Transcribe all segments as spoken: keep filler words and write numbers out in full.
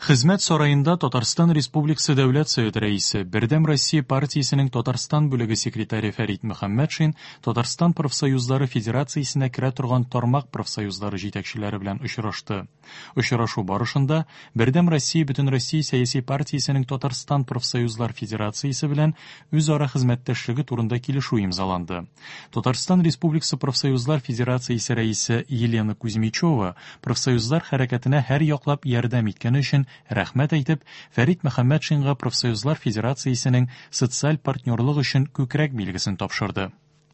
Хезмәт сараенда Татарстан Республикасы Дәүләт Советы Рәисе, Бердәм Россия партиясенең Татарстан бүлеге секретаре Фәрит Мөхәммәтшин Татарстан профсоюзлары федерациясенә керә торган тармак профсоюзлары җитәкчеләре белән очрашты. Очрашу барышында Бердәм Россия Бөтенроссия сәяси партиясенең Татарстан профсоюзлар федерациясе белән үзара хезмәттәшлеге турында килешү имзаланды. Татарстан Республикасы профсоюзлар федерациясе рәисе Елена Кузьмичева профсоюзлар хәрәкәтенә һәр яклап ярдәм иткәне өчен рәхмәт әйтеп, Фәрит Мөхәммәтшинга профсоюзлар федерациясенең социаль партнерлык өчен күкрәк билгесен тапшырды.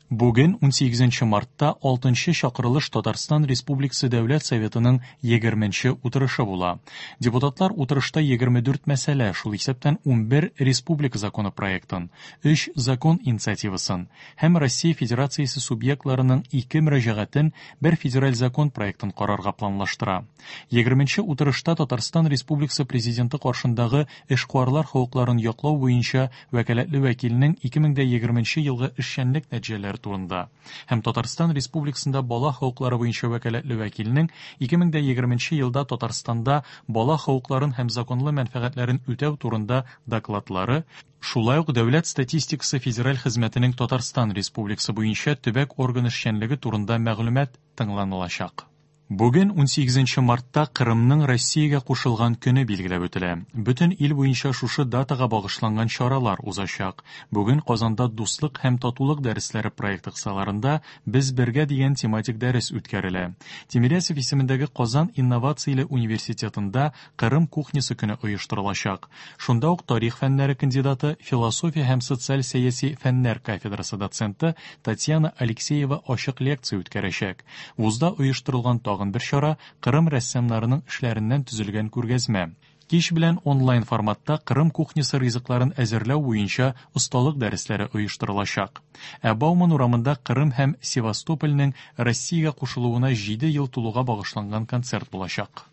Бүген унсигезенче мартта алтынчы чакырылыш Татарстан Республикасы Дәүләт Советының егерменче утырышы була. Депутатлар утырышта егерме дүрт мәсьәлә, шул исәптән унбер республика законы проектын, өч закон инициативасын һәм Россия Федерациясе субъектларының ике мөрәҗәгатен, бер федераль закон проектын карарга планлаштыра. Егерменче утырышта Татарстан Республикасы Президенты каршындагы эшкуарлар хокукларын яклау буенча вәкаләтле вәкилнең ике мең дә егерменче елгы эшчәнлек нәтиҗәләре турында һәм Татарстан Республикасында бала хокуклары буенча вәкаләтле вәкилнең ике мең дә егерменче елда Татарстанда бала хокукларын һәм законлы мәнфәгатьләрен үтәү турында докладлары, шулай ук Дәүләт статистикасы федераль хезмәтенең Татарстан Республикасы буенча төбәк орган эшчәнлеге турында мәгълүмат тыңланылачак. Бүген унсигезенче мартта Кырымның Россиягә кушылган көне билгеләп үтелә. Бөтен ил буенча шушы датага багышланган чаралар узачак. Бүген Казанда Дуслык һәм татулык дәресләре проекты кысаларында Без бергә дигән тематик дәрес үткәрелә. Тимирязев исемендәге Казан инновацияле университетында Кырым кухнясы көне оештырылачак. Шунда ук тарих фәннәре кандидаты, философия һәм социаль сәяси фәннәр кафедрасы доценты Татьяна Алексеева ачык лекция үткәрәчәк. Вузда оештырылган тагын бер чара Кырым рәссамнарының эшләреннән төзелгән күргәзмә. Кич белән онлайн форматта Кырым кухнясы ризыкларын әзерләү буенча осталык дәресләре оештырылачак. Ә Бауман урамында Кырым һәм Севастопольнең Россиягә кушылуына җиде ел тулуга багышланган концерт булачак.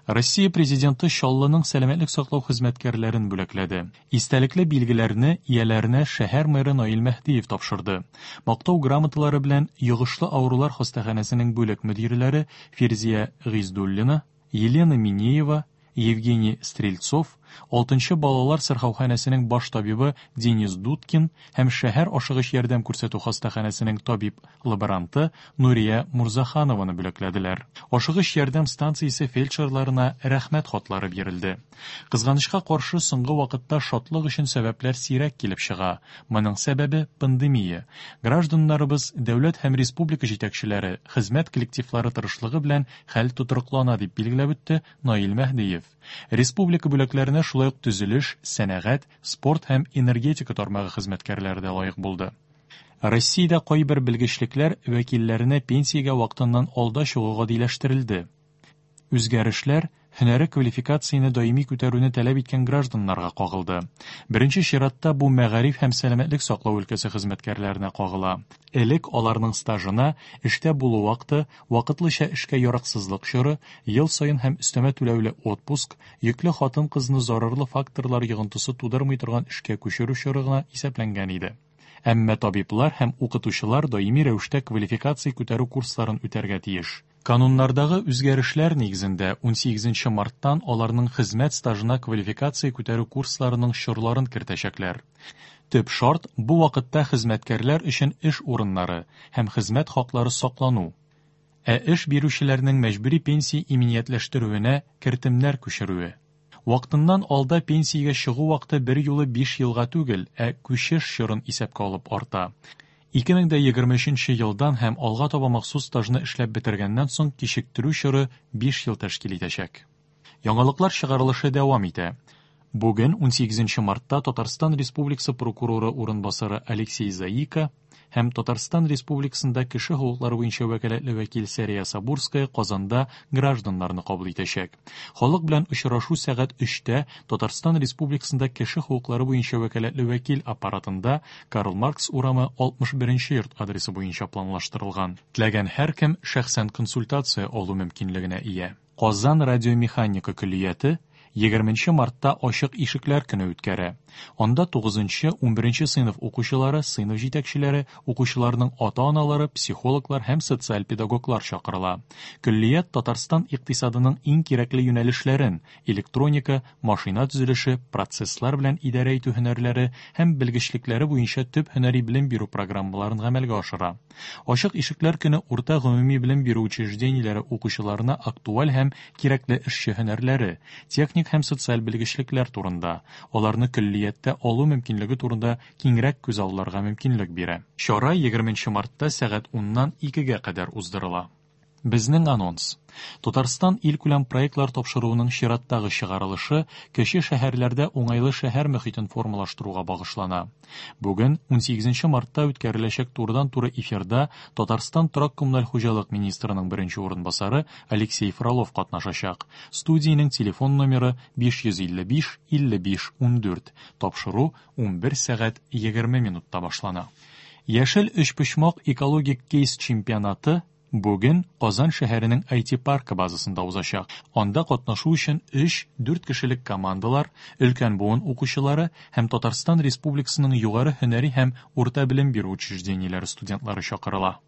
Россия президенты Чаллының сәламәтлек саклау хезмәткәрләрен бүләкләде. Истәлекле билгеләрне ияләренә шәһәр мэры Наил Мәһдиев тапшырды. Мактау грамоталары белән йогышлы авырулар хастаханәсенең бүлек мөдирләре Фирзия Гиздуллина, Елена Минеева, Евгений Стрельцов, алтынчы балалар сырхауханәсенең баш табибы Денис Дудкин һәм шәһәр ашыгыч ярдәм күрсәтү хастаханәсенең табиб-лаборанты Нурия Мурзаханованы бүләкләделәр. Ашыгыч ярдәм станциясе фельдшерларына рәхмәт хатлары бирелде. Кызганычка каршы, соңгы вакытта шатлык өчен сәбәпләр сирәк килеп чыга. Моның сәбәбе пандемия. Гражданнарыбыз, дәүләт һәм республика җитәкчеләре, хезмәт коллективлары тырышлыгы белән хәл тотрыклана, дип билгеләп үтте Наил Мәһдиев. Республика бүләкләренә шулай ук төзелеш, сәнәгать, спорт һәм энергетика тармагы хезмәткәрләре дә лаек булды. Россиядә кайбер белгечлекләр вәкилләренә пенсиягә вакытыннан алда чыгу гадиләштерелде. Үзгәрешләр һөнәри квалификацияне даими күтәрүне таләп иткән гражданнарга кагылды. Беренче чиратта бу мәгариф һәм сәламәтлек саклау өлкәсе хезмәткәрләренә кагыла. Элек аларның стажына эштә булу вакыты, вакытлыча эшкә яраксызлык чоры, ел саен һәм өстәмә түләүле отпуск, йөкле хатын-кызны зарарлы факторлар йогынтысы тудырмый торган эшкә күчерү чоры гына исәпләнгән иде. Әмма табиблар һәм укытучылар даими рәвештә квалификация күтәрү курсларын үтәргә тиеш. Кануннардагы үзгәрешләр нигезендә унсигезенче марттан аларның хезмәт стажына квалификация күтәрү курсларының чорларын кертәчәкләр. Төп шарт бу вакытта хезмәткәрләр өчен эш урыннары һәм хезмәт хаклары саклану, ә эш бирүчеләрнең мәҗбүри пенсия иминиятләштерүенә кертемнәр күчерүе. Вакытыннан алда пенсиягә чыгу вакыты бер юлы биш елга түгел, ә күчеш чорын исәпкә алып арта. Ике мең дә егерме өченче елдан һәм алга таба махсус стажны эшләп бетергәннән соң кичектерү чоры биш ел тәшкил итәчәк. Яңалыклар чыгарылышы дәвам итә. Бүген унсигезенче мартта Татарстан Республикасы прокуроры урынбасары Алексей Заика һәм Татарстан Республикасында кеше хокуклары буенча вәкаләтле вәкил Сәрия Сабурская Казанда гражданнарны кабул итәчәк. Халык белән очрашу сәгать өчтә Татарстан Республикасында кеше хокуклары буенча вәкаләтле вәкил аппаратында Карл Маркс урамы алтмыш беренче йорт адресы буенча планлаштырылган. Теләгән һәркем шәхсән консультация алу мөмкинлегенә ия. Казан радиомеханика көллияте егерменче мартта Ачык ишекләр көне үткәрә. Анда тугызынчы, унберенче сыйныф укучылары, сыйныф җитәкчеләре, укучыларның ата-аналары, психологлар һәм социаль педагоглар чакырыла. Көллият Татарстан икътисадының иң кирәкле юнәлешләрен электроника, машина төзелеше, процесслар белән идарә итү һөнәрләре һәм белгечлекләре буенча төп һөнәри белем бирү программаларын гамәлгә ашыра. Ачык ишекләр көне урта гомуми белем бирү учреждениеләре укучыларына актуаль һәм кирәкле эшче һөнәрләре, техник һәм социаль белгечлекләр турында, аларны көллияттә алу мөмкинлеге турында киңрәк күзалларга мөмкинлек бирә. Чара егерменче мартта сәгать уннан икегә кадәр уздырыла. Безнең анонс. Татарстан илкүләм проектлар тапшыруының чираттагы чыгарылышы кече шәһәрләрдә уңайлы шәһәр мөхитен формалаштыруга багышлана. Бүген унсигезенче мартта үткәреләчәк турыдан-туры эфирда Татарстан торак коммуналь хуҗалык министрының беренче урынбасары Алексей Фролов катнашачак. Студиянең телефон номеры биш йөз илле биш илле биш ундүрт. Тапшыру унбер сәгать егерме минутта башлана. Яшел өчпочмак экологик кейс чемпионаты бүген Казан шәһәренең ай ти паркы базасында узачак. Анда катнашу өчен өч-дүрт кешелек командалар, өлкән буын укучылары һәм Татарстан Республикасының югары һөнәри һәм урта белем бирү учреждениеләре студентлары чакырыла.